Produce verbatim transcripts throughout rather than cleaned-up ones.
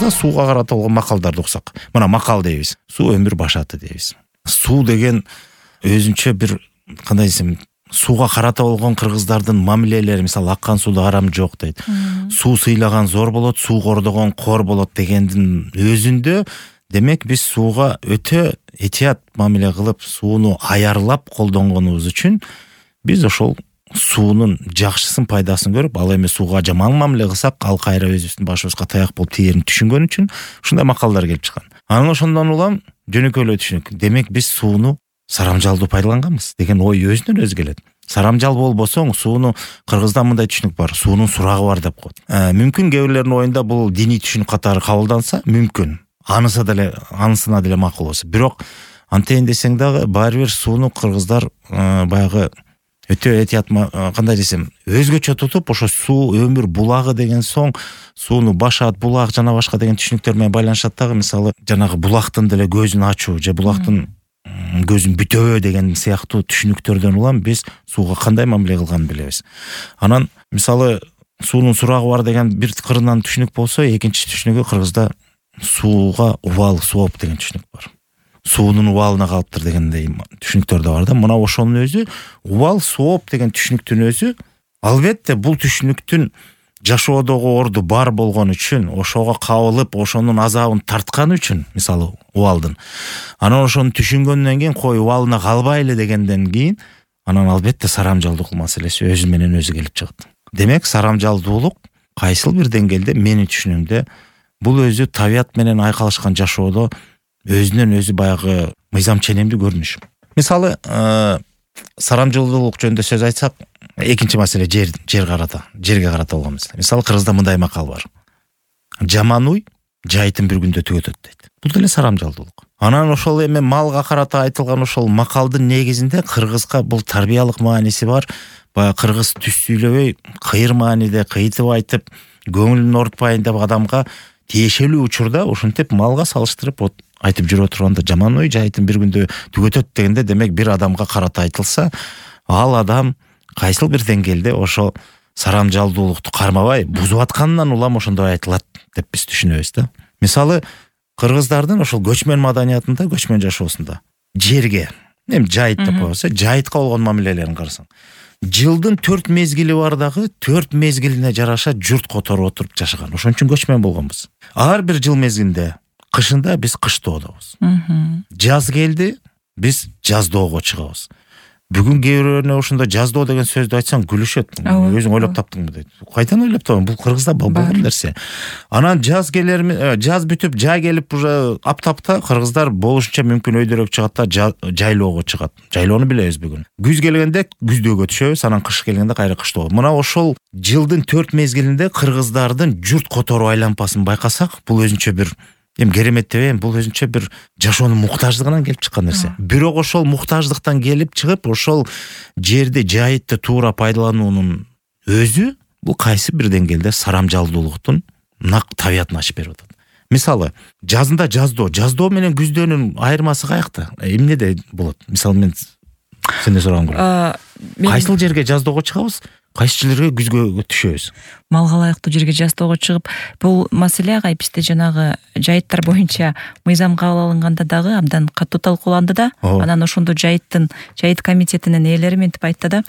мисалы сууга карата болгон макалдарды окусак, мына макал дейбиз. Суу өмүр башаты дейбиз. Суу деген өзүнчө бир кандай десем, сууга карата болгон кыргыздардын мамилелери, мисалы аккан сууда арам жок дейт. Суу сыйлаган зор болот, суу кордогон кор болот дегендин өзүндө демек биз сууга өтө этият мамиле кылып, сууну аярлап колдонгонубуз үчүн биз ошол суунун жакшысын, пайдасын көрүп, ал эми сууга жаман мамиле кылсак, ал кайра өзүбүздүн башыбызга таяк болуп тиерин түшүнгөн үчүн ушундай макалдар келип чыккан. Анан ошондон улам жөнөкөйлөй түшүнүк. Демек биз сууну сарамжалдуу пайдаланганбыз деген ой өзүнөн өзү келет. Сарамжал болбосоң, сууну кыргызда мындай түшүнүк бар, суунун сурагы бар деп коет. Э, мүмкүн кээ бирлердин оюнда бул диний түшүнүк катары кабылданса, мүмкүн. Анысы деле, анысына деле макул болсо. Бирок антейин десең дагы баары бир сууну кыргыздар э, баягы өтө этият, кандай десем, өзгөчө тутуп, ошо суу өмүр булагы деген соң, сууну башат, булак жана башка деген түшүнүктөр менен байланышат дагы. Мисалы, жанагы булактын деле көзүн ачуу же булактын көзүн бүтөбө деген сыяктуу түшүнүктөрдөн улам биз сууга кандай мамиле кылганын билебиз. Анан мисалы суунун сурагы бар деген бир кырынан түшүнүк болсо, экинчи түшүнүгү кыргызда сууга убал, сооп деген түшүнүк бар. Суунун убалына калыптыр дегендей түшүнүктөр да бар да. Мына ошонун өзү, убал, сооп деген түшүнүктүн өзү, албетте бул түшүнүктүн жашоодогу орду бар болгон үчүн, ошого кабылып, ошонун азабын тарткан үчүн, мисалы убалдын. Анан ошону түшүнгөндөн кийин кой убалына калбайлы дегенден кийин, анан албетте сарамжалдуулук маселеси өзү менен өзү келип чыгат. Демек сарамжалдуулук кайсыл бир деңгээлде менин түшүнүгүмдө бул өзү табият менен айкалышкан жашоодо өзүнөн өзү баягы мыйзам ченемдүү көрүнүш. Мисалы, сарамжалдуулук жөнүндө сөз айтсак, экинчи маселе жер, жер карата, жерге карата болгон маселе. Мисалы, кыргызда мындай макал бар. Жаман уй жайытын бир күндө түгөтөт дейт. Бул деле сарамжалдуулук. Анан ошол эми малга карата айтылган ошол макалдын негизинде кыргызга бул тарбиялык мааниси бар. Баягы кыргыз түз сүйлөбөй, кыйыр мааниде кыйтып айтып, көңүлүн оорутпайын деп адамга тиешелүү учурда ошентип малга салыштырып айтып жүрө турганда, жаман ой жайытын бир күндө түгөтөт дегенде, демек бир адамга карата айтылса, ал адам кайсыл бир деңгээлде ошо сарамжалдуулукту кармабай бузуп атканынан улам ошондой айтылат деп биз түшүнөбүз да. Мисалы, кыргыздардын ошол көчмөн маданиятында, көчмөн жашоосунда жерге, эми жайыт деп коебуз, жайытка болгон мамилелерин карасаң, жылдын төрт мезгили бар дагы, төрт мезгилине жараша журт которуп отуруп жашаган. Ошон үчүн көчмөн болгонбуз. Ар бир жыл мезгилинде, кышында биз кыштоодобуз. Жаз келди, биз жаздоого чыгабыз. Бүгүн кээ бирөөнө ошондо жаздоо деген сөздү айтсаң күлүшөт. Өзүң ойлоп таптыңбы дейт. Кайдан ойлоп таптың? Бул кыргызда болгон нерсе. Анан жаз келерми, жаз бүтүп, жай келип уже аптапта кыргыздар болушунча мүмкүн өйдөрөөк чыгат да жайлоого чыгат. Жайлоону билебиз бүгүн. Күз келгенде күздөөгө түшөбүз, анан кыш келгенде кайра кыштоого. Мына ошол жылдын төрт мезгилинде кыргыздардын журт которуу айлампасын байкасак, бул өзүнчө бир эми керемет деп, бул өзүнчө бир жашоонун муктаждыгынан келип чыккан нерсе. Бирок ошол муктаждыктан келип чыгып, ошол жерди, жайытты туура пайдалануунун өзү бул кайсы бир деңгээлде сарамжалдуулуктун нак табиятын ачып берип атат. Мисалы, жазында жаздоо, жаздоо менен күздөөнүн айырмасы каякта? Эмнеде болот? Мисалы, мен сенден сурагым келет. Кайсыл жерге жаздоого чыгабыз? Кайсы жерлерге күзгө түшөбүз? Малга ылайыктуу жерге жаздоого чыгып, бул маселе бизде жанагы жайыттар боюнча мыйзам кабыл алынганда дагы абдан катуу талкууланды да. Анан ошондо жайыттын, жайыт комитетинин ээлери ментип айтты да,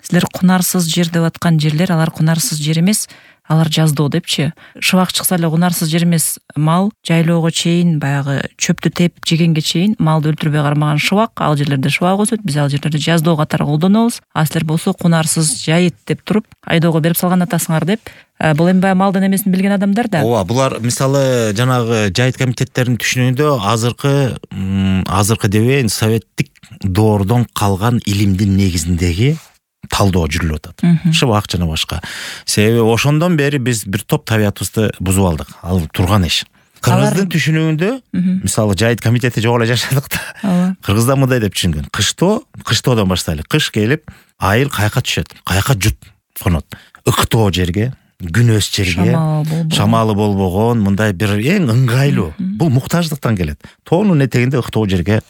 силер кунарсыз жер деп аткан жерлер, алар кунарсыз жер эмес, алар жаздоо депчи. Шыбак чыкса эле кунарсыз жер эмес, мал жайлоого чейин, баягы чөптү теп жегенге чейин малды өлтүрбөй кармаган шыбак, ал жерлерде шыбак өсөт, биз ал жерлерди жаздоо катары колдонобуз. А силер болсо кунарсыз жайыт деп туруп, айдоого берип салган атасыңар деп. Бул эми баягы малдын эмесин билген адамдар да. Ооба, булар мисалы жанагы жайыт комитеттеринин түшүнүгүндө азыркы азыркы дебейин, советтик доордон калган илимдин негизиндеги талдоо жүрүлүп атат. Шыбак жана башка. Себеби ошондон бери биз бир топ табиятыбызды бузуп алдык. Ал турган иш. Кыргыздын түшүнүгүндө, мисалы, жайыт комитети жок эле жашадык да. Кыргызда мындай деп түшүнгөн. Кыштоо, кыштоодон баштайлы. Кыш келип, айыл каяка түшөт? Каяка жут конот. Ыктоо жерге, күнөс жерге, шамалы болбогон, мындай бир эң ыңгайлуу. Бул муктаждыктан келет. Тоонун этегинде ыктоо жерге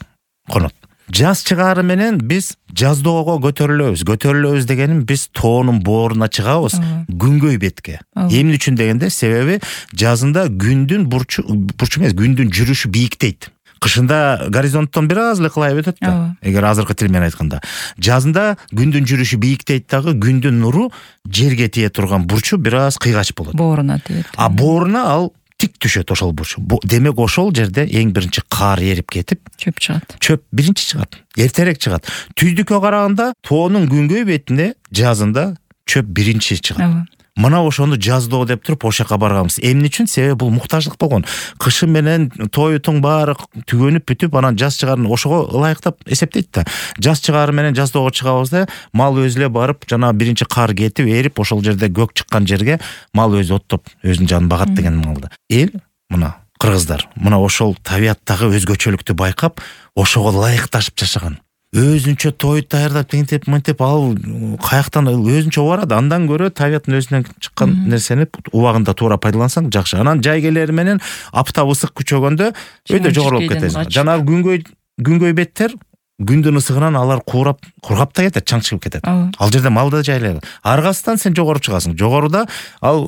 конот. Жаз чыгаары менен биз жаздоого көтөрүлөбүз. Көтөрүлөбүз дегеним биз тоонун бооруна чыгабыз, күнгөй бетке. Эмне үчүн дегенде, себеби жазында күндүн бурчу бурчу эмес, күндүн жүрүшү бийиктейт. Кышында горизонттон бир аз эле кылайып өтөт да. Эгер азыркы тил менен айтканда, жазында күндүн жүрүшү бийиктейт дагы, күндүн нуру жерге тие турган бурчу бир аз кыйгач болот. Бооруна тиет. А бооруна ал тик түшөт ошол бурчу. Демек ошол жерде эң биринчи кар эрип кетип, чөп чыгат. Чөп биринчи чыгат, эртерээк чыгат. Түздүккө караганда тоонун күнгөй бетинде жазында чөп биринчи чыгат. Мына ошону жаздоо деп туруп ошол жака барганбыз. Эмне үчүн? Себеби бул муктаждык болгон. Кышы менен тоютуң баары түгөнүп бүтүп, анан жаз чыгаарын ошого ылайыктап эсептейт да. Жаз чыгаары менен жаздоого чыгабыз да, мал өзү эле барып, жана биринчи кар кетип, эрип, ошол жерде көк чыккан жерге мал өзү оттоп, өзүнүн жанын багат деген малды. Эл мына кыргыздар мына ошол табияттагы өзгөчөлүктү байкап, ошого ылайыкташып жашаган. Өзүнчө тоют даярдап, тентеп, мынтеп, ал каяктан өзүнчө барат. Андан көрө табияттын өзүнөн чыккан нерсени убагында туура пайдалансаң жакшы. Анан жайгелери менен аптап ысык күчөгөндө өйдө жогорулуп кетесиң. Жанагы күнгөй күнгөй беттер күндүн ысыгынан алар куурап, кургап да кетет, чаң чыгып кетет. Ал жерде мал да жайлайбы. Аргасынан сен жогору чыгасың. Жогоруда ал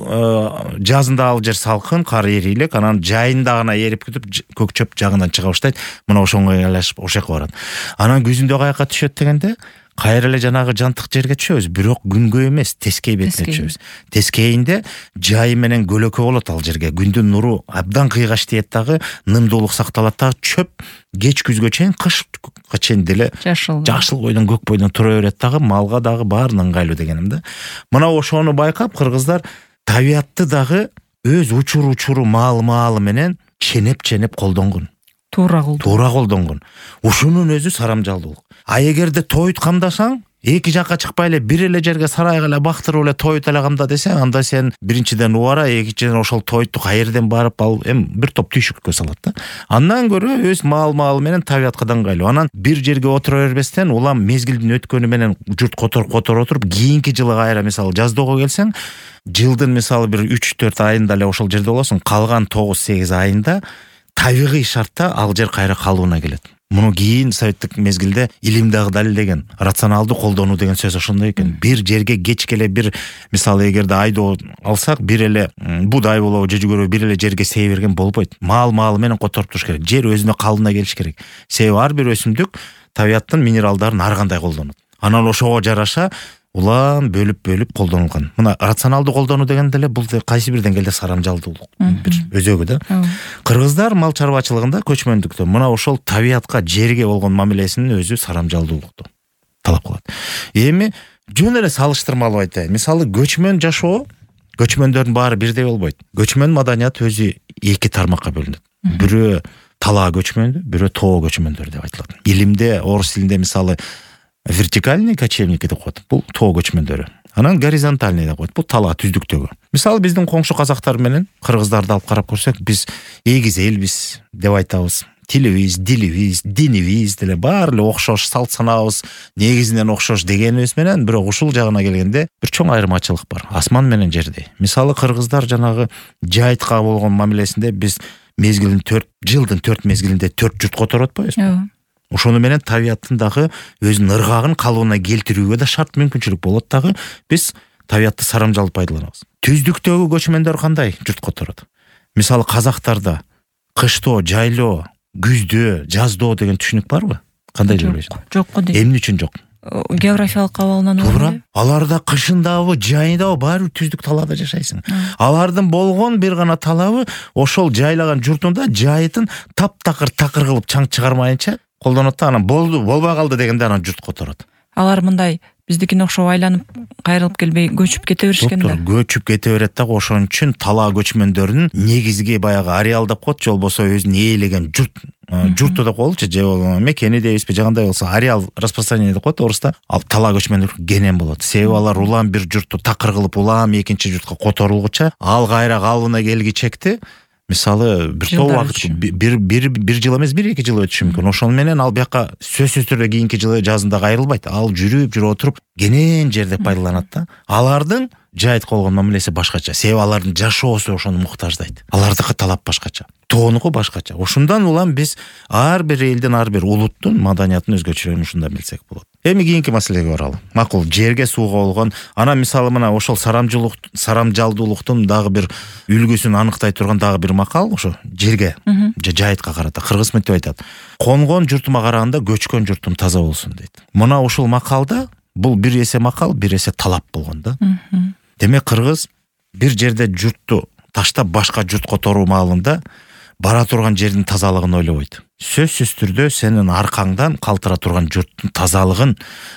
жазында ал жер салкын, кар эрийлик, анан жайында гана эрип кетип, көк чөп жагынан чыга баштайт. Мына ошоңго айлашып ошол жака барат. Анан күзүндө каяка түшөт дегенде, кайра эле жанагы жантык жерге түшөбүз, бирок күнгөй эмес, тескей бетине түшөбүз. Тескейинде жайы менен көлөкө болот ал жерге. Күндүн нуру абдан кыйгач тиет дагы, нымдуулук сакталат дагы, чөп кеч күзгө чейин, кышка чейин деле жашыл жашыл бойдон, көк бойдон тура берет дагы, малга дагы баары ыңгайлуу дегеним да. Мына ошону байкап кыргыздар табиятты дагы өз учур-учуру, маалы-маалы менен ченеп-ченеп колдонгон. Туура колдонгон. Туура колдонгон. Ушунун өзү сарамжалдуулук. А эгерде тоют камдасаң, эки жакка чыкпай эле бир эле жерге сарайга эле бактырып эле тоют эле камда десең, анда сен биринчиден убара, экинчиден ошол тоютту каерден барып ал эми бир топ түйшүккө салат да. Андан көрө өз маал-маалы менен табиятка ыңгайлуу. Анан бир жерге отура бербестен, улам мезгилдин өткөнү менен журт которуп которуп отуруп, кийинки жылы кайра мисалы жаздоого келсең, жылдын мисалы бир үч төрт айында эле ошол жерде болосуң, калган тогуз сегиз айында табигый шартта ал жер кайра калыбына келет. Муну кийин советтик мезгилде илим дагы далилдеген, рационалдуу колдонуу деген сөз ошондой экен. Бир жерге кечке эле бир, мисалы эгерде айдоо алсак, бир эле будай болобу же жүгөрү бир эле жерге сей берген болбойт. Маал-маалы менен которуп туруш керек. Жер өзүнө калыбына келиш керек. Себеби ар бир өсүмдүк табияттын минералдарын ар кандай колдонот. Анан ошого жараша улам бөлүп-бөлүп колдонулган. Мына рационалдуу колдонуу дегенде эле бул кайсы бир деңгээлде сарамжалдуулук бир өзөгү да. Кыргыздар мал чарбачылыгында, көчмөндүктө мына ошол табиятка, жерге болгон мамилесинин өзү сарамжалдуулукту талап кылат. Эми жөн эле салыштырмалуу айтайын. Мисалы көчмөн жашоо, көчмөндөрдүн баары бирдей болбойт. Көчмөн маданият өзү эки тармакка бөлүнөт. Бирөө талаа көчмөндү, бирөө тоо көчмөндөр деп айтылат. Илимде, орус тилинде мисалы вертикальный кочевники деп коет. Бул тоо көчмөндөрү. Анан горизонтальный деп коет. Бул талаа түздүктөгү. Мисалы биздин коңшу казактар менен кыргыздарды алып карап көрсөк, биз эгиз элбиз деп айтабыз. Тилибиз, дилибиз, динибиз деле баары эле окшош, салт санаабыз негизинен окшош дегенибиз менен, бирок ушул жагына келгенде бир чоң айырмачылык бар. Асман менен жердей. Мисалы кыргыздар жанагы жайытка болгон мамилесинде биз мезгилин төрт жылдын төрт мезгилинде төрт журт которуп атпайбызбы? Ошону менен табияттын дагы өзүнүн ыргагын калыбына келтирүүгө да шарт мүмкүнчүлүк болот дагы, биз табиятты сарамжалып пайдаланабыз. Түздүктөгү көчмөндөр кандай журт которот? Мисалы казактарда кыштоо, жайлоо, күздөө, жаздоо деген түшүнүк барбы? Кандай деп ойлойсуң? Жок го дейм. Эмне үчүн жок? Географиялык абалынан туура. Аларда кышындабы, жайындабы баары түздүк талаада жашайсың. Алардын болгон бир гана талабы ошол жайлаган журтунда жайытын таптакыр такыр кылып чаң чыгармайынча колдонот да, анан болду, болбой калды дегенде анан журт которот. Алар мындай биздикине окшоп айланып кайрылып келбей көчүп кете беришкен да. Көчүп кете берет дагы, ошон үчүн талаа көчмөндөрүнүн негизги баягы ареал деп коет, же болбосо өзүн ээлеген журт, журту деп коелучу, же болбосо мекени дейбизби, же кандай болсо ареал распространение деп коет орусста. Ал талаа көчмөндөр кенен болот. Себеби алар улам бир журтту такыр кылып улам экинчи журтка которулгуча, ал кайра калыбына келгичекти мисалы бир топ убакыт, бир бир бир жыл эмес, бир эки жыл өтүшү мүмкүн. Ошону менен ал бияка сөзсүз түрдө кийинки жылы жазында кайрылбайт. Ал жүрүп жүрүп отуруп кенен жерде пайдаланат да. Алардын жайытка болгон мамилеси башкача. Себеби алардын жашоосу ошону муктаждайт. Алардыкы талап башкача. Тоонуку башкача. Ошондан улам биз ар бир элдин, ар бир улуттун маданиятын өзгөчөлүгүн ушунда билсек болот. Эми кийинки маселеге баралы. Макул, жерге, сууга болгон, анан мисалы мына ошол сарамжылык, сарамжалдуулуктун дагы бир үлгүсүн аныктай турган дагы бир макал ошо жерге, же жайытка карата. Кыргыз мынтип айтат: конгон журтума караганда көчкөн журтум таза болсун дейт. Мына ушул макалда бул бир эсе макал, бир эсе талап болгон да. Демек кыргыз бир жерде журтту таштап башка журт которуу маалында бара турган жердин тазалыгын ойлобойт. Сөзсүз түрдө сенин аркаңдан калтыра турган журттун тазалыгын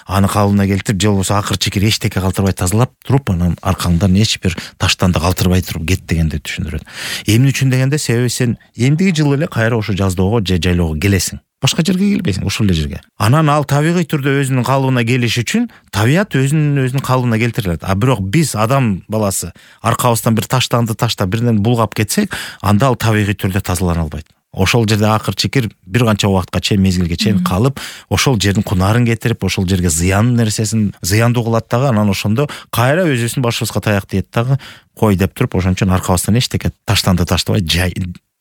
аны калыбына келтирип, же болбосо акыр чекер эчтеке калтырбай тазалап туруп, анан аркаңдан эч бир таштан да калтырбай туруп кет дегенди түшүндүрөт. Эмне үчүн дегенде, себеби сен эмдиги жылы эле кайра ошо жаздоого же жайлоого келесиң. Башка жерге келбейсиң, ошол эле жерге. Анан ал табигый түрдө өзүнүн калыбына келиш үчүн табият өзүнүн өзүнүн калыбына келтирилет. А бирок биз адам баласы аркабыздан бир таштанды таштап бирден булгап кетсек, анда ал табигый түрдө тазалана албайт. Ошол жерде акыр чекер бир канча убакытка чейин, мезгилге чейин калып, ошол жердин кунарын кетирип, ошол жерге зыян нерсесин зыяндуу кылат дагы, анан ошондо кайра өзүбүздүн башыбызга таяк тиет дагы, кой деп туруп, ошон үчүн аркабыздан эчтеке таштанды таштабай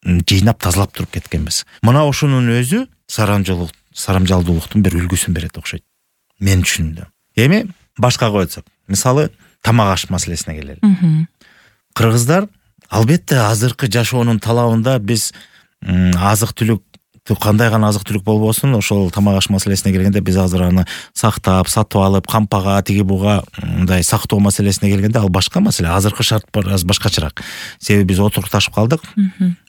жыйнап тазалап туруп кеткенбиз. Мына ошонун өзү сарамжалдуулук, сарамжалдуулуктун бир үлгүсүн берет окшойт. Мен түшүндүм. Эми башкага койсок, мисалы тамак аш маселесине келели. Кыргыздар албетте азыркы жашоонун талабында биз азык-түлүк кандай гана азык-түлүк болбосун, ошол тамак аш маселесине келгенде биз азыр аны сактап, сатып алып, кампага, тиги буга мындай сактоо маселесине келгенде ал башка маселе. Азыркы шарт аз башкачараак. Себеби биз отурукташып калдык.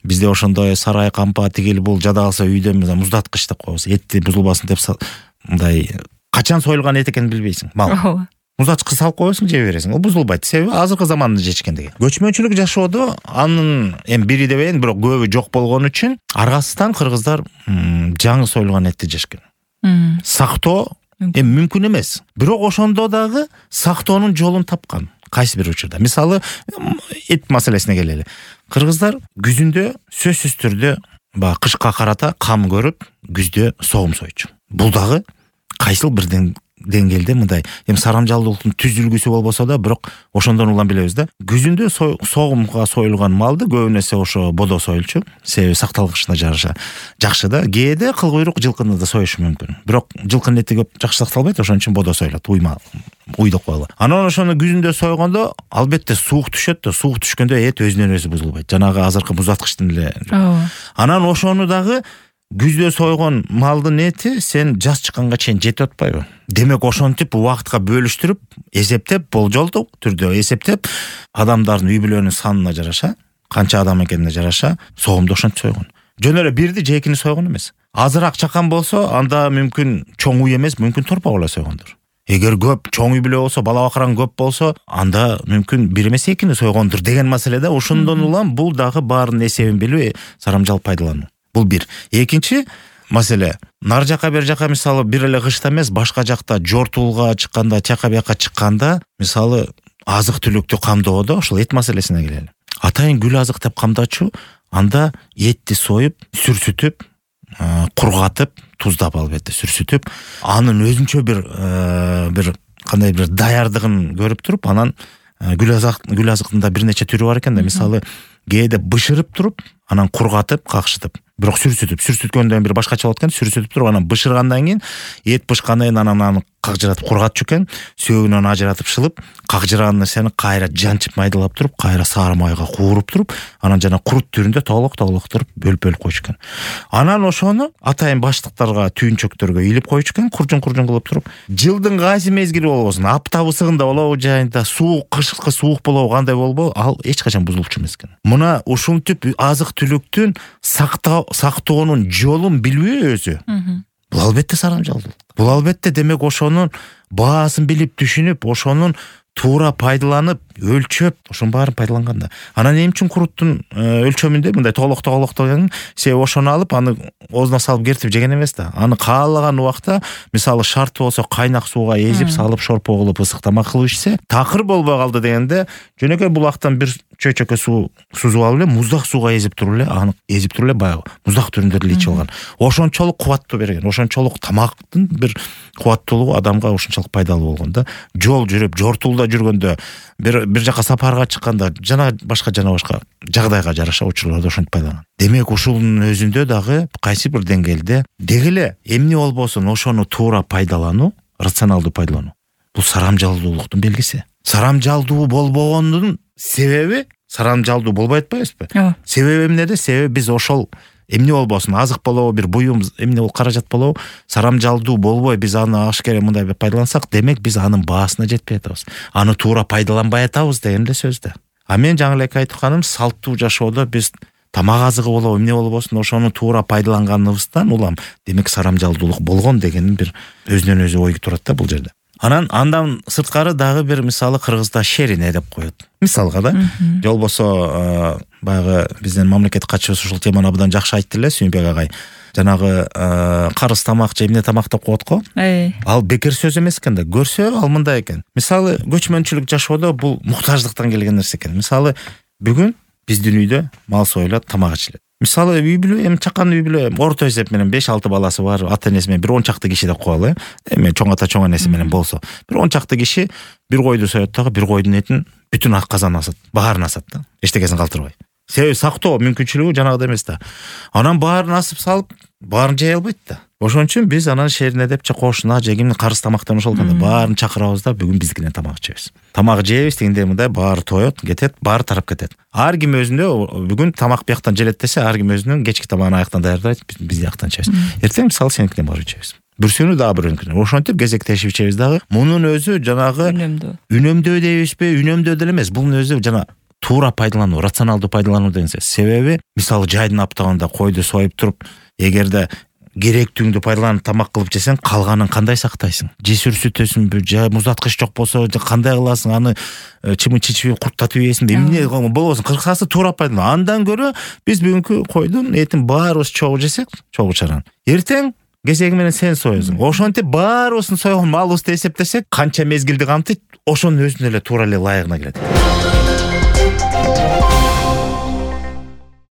Бизде ошондой сарай, кампа, тигил бул жада калса үйдө муздаткыч деп коебуз. Этти бузулбасын деп мындай качан союлган эт экенин билбейсиң. Мал. Муздатчыкка салып коесуң, жей бересиң. Ол бузулбайт. Себеби азыркы заманды жечкендиги. Көчмөнчүлүк жашоодо анын эми бири дебейин, бирок көбү жок болгон үчүн аргасыздан кыргыздар жаңы союлган этти жешкен. Сактоо эми мүмкүн эмес. Бирок ошондо дагы сактоонун жолун тапкан. Кайсы бир учурда. Мисалы, эт маселесине келели. Кыргыздар күзүндө сөзсүз түрдө баягы кышка карата кам көрүп, күздө согум соючу. Бул дагы кайсыл бирден деңгээлде мындай эми сарамжалдуулуктун түз үлгүсү болбосо да, бирок ошондон улам билебиз да. Күзүндө согумга союлган малды көбүн эсе ошо бодо союлчу. Себеби сакталгычына жараша жакшы да. Кээде кыл куйрук жылкыны да союшу мүмкүн. Бирок жылкынын эти көп жакшы сакталбайт, ошон үчүн бодо союлат, уйма уйда коелу. Анан ошону күзүндө сойгондо албетте суук түшөт да, суук түшкөндө эт өзүнөн өзү бузулбайт. Жанагы азыркы муздаткычтын эле. Анан ошону дагы күздө сойгон малдын эти сен жаз чыкканга чейин жетип атпайбы? Демек ошентип убакытка бөлүштүрүп, эсептеп, болжолдуу түрдө эсептеп, адамдардын үй бүлөнүн санына жараша, канча адам экенине жараша согумду ошентип сойгон. Жөн эле бирди же экини сойгон эмес. Азыраак чакан болсо, анда мүмкүн чоң үй эмес, мүмкүн торпак эле сойгондур. Эгер көп чоң үй бүлө болсо, бала бакыран көп болсо, анда мүмкүн бир эмес экини сойгондур деген маселеде. Ошондон улам бул дагы баарынын эсебин билип, сарамжал пайдалануу. Бул бир. Экинчи маселе, нар жака бер жака мисалы бир эле кышта эмес, башка жакта жортуулга чыкканда, чака бияка чыкканда, мисалы азык-түлүктү камдоодо ошол эт маселесине келели. Атайын гүл азык деп камдачу, анда этти союп, сүрсүтүп, кургатып, туздап албетте сүрсүтүп, анын өзүнчө бир бир кандай бир даярдыгын көрүп туруп, анан гүл азык гүл азыктын да бир нече түрү бар экен да. Мисалы кээде бышырып туруп, анан кургатып, какшытып, бирок сүрсүтүп, сүрсүткөндөн бир башкача болот экен. Сүрсүтүп туруп, анан бышыргандан кийин эт бышкандан кийин анан аны какжыратып кургатчу экен. Сөөгүнөн ажыратып шылып, какжырган нерсени кайра жанчып майдалап туруп, кайра сары майга кууруп туруп, анан жана курут түрүндө тоолок-тоолок туруп бөлүп-бөлүп койчу экен. Анан ошону атайын баштыктарга, түйүнчөктөргө илип койчу экен, куржун-куржун кылып туруп. Жылдын кайсы мезгили болбосун, апта ысыгында болобу, жайында суук, кышкы суук болобу, кандай болбо, ал эч качан бузулчу эмес экен. Мына ушинтип азык-түлүктүн сактоо сактоонун жолун билбөө өзү. Бул албетте сарамжалдуулук. Бул албетте демек ошонун баасын билип түшүнүп, ошонун туура пайдаланып, өлчөп, ошонун баарын пайдаланганда. Анан эмне үчүн куруттун өлчөмүндө мындай тоолок-тоолок деген, себеби ошону алып, аны оозуна салып кертип жеген эмес да. Аны каалаган убакта, мисалы шарт болсо кайнак сууга эзип салып, шорпо кылып, ысык тамак кылып ичсе, такыр болбой калды дегенде, жөнөкөй булактан бир чөйчөккө суу сузуп алып эле, муздак сууга эзип туруп эле, аны эзип туруп эле баягы муздак түрүндө эле ичип алган. Ошончолук кубаттуу берген, ошончолук тамактын бир кубаттуулугу адамга ошончолук пайдалуу болгон да. Жол жүрүп, жортуулда жүргөндө, бир бир жака сапарга чыкканда жана башка жана башка жагдайга жараша учурларда ошентип пайдаланат. Демек ушунун өзүндө дагы кайсы бир деңгээлде деги эле эмне болбосун ошону туура пайдалануу, рационалдуу пайдалануу бул сарамжалдуулуктун белгиси. Сарамжалдуу болбогондун себеби сарамжалдуу болбой атпайбызбы? Ооба. Себеби эмнеде? Себеби биз ошол эмне болбосун, азык болобу, бир буюм эмне бол каражат болобу, сарамжалдуу болбой биз аны ашкере мындай пайдалансак, демек биз анын баасына жетпей атабыз. Аны туура пайдаланбай атабыз деген эле сөз да. А мен жаңы эле айтканым, салттуу жашоодо биз тамак азыгы болобу, эмне болбосун ошону туура пайдаланганыбыздан улам демек сарамжалдуулук болгон деген бир өзүнөн өзү ой турат да бул жерде. Анан андан сырткары дагы бир мисалы кыргызда шерине деп коет. Мисалга да, же болбосо баягы биздин мамлекет катчыбыз ушул теманы абдан жакшы айтты эле Сүйүнбек агай. Жанагы карыз тамак же эмне тамак деп коет го. Ал бекер сөз эмес экен да. Көрсө ал мындай экен. Мисалы көчмөнчүлүк жашоодо бул муктаждыктан келген нерсе экен. Мисалы бүгүн биздин үйдө мал союлат, тамак ичилет. Мисалы үй бүлө, эми чакан үй бүлө орто эсеп менен беш алты баласы бар, ата энеси менен бир он чакты киши деп коелу, э. Эми чоң ата чоң энеси менен болсо, бир он чакты киши бир койду соет дагы, бир койдун этин бүтүн ак казан асат, баарын асат да, эчтекесин калтырбай. Себеби сактоо мүмкүнчүлүгү жанагыдай эмес да. Анан баарын асып салып, баарын жей албайт да. Ошон үчүн биз анан шерине деп же кошуна же кимдин карыз тамактан ошол кандай баарын чакырабыз да, бүгүн биздикинен тамак жейбиз. Тамак жейбиз, тигиндей мындай баары тоет, кетет, баары тарап кетет. Ар ким өзүндө бүгүн тамак бияктан желет десе, ар ким өзүнүн кечки тамагын аяктан даярдайт, биз бияктан жейбиз. Эртең мисалы сеникинен барып жейбиз. Бүрсөнү дагы бирөөнүкүнөн. Ошентип кезектешип ичебиз дагы. Мунун өзү жанагы үнөмдөө. Үнөмдөө дейбизби? Үнөмдөө деле эмес. Бунун өзү жана туура пайдалануу, рационалдуу пайдалануу деген сөз. Себеби мисалы жайдын аптагында койду союп туруп, эгерде керектүүңдү пайдаланып тамак кылып жесең, калганын кандай сактайсың? Жесүр сүтөсүңбү, же муздаткыч жок болсо кандай кыласың? Аны чымын чичип курттатып ийесиңби? Эмне болбосун? Кырсасы туура пайдалан. Андан көрө биз бүгүнкү койдун этин баарыбыз чогуу жесек, чогуу чаран. Эртең кезеги менен сен соесуң. Ошентип баарыбыздын сойгон малыбызды эсептесек, канча мезгилди камтыйт, ошонун өзүнө эле туура эле ылайыгына келет.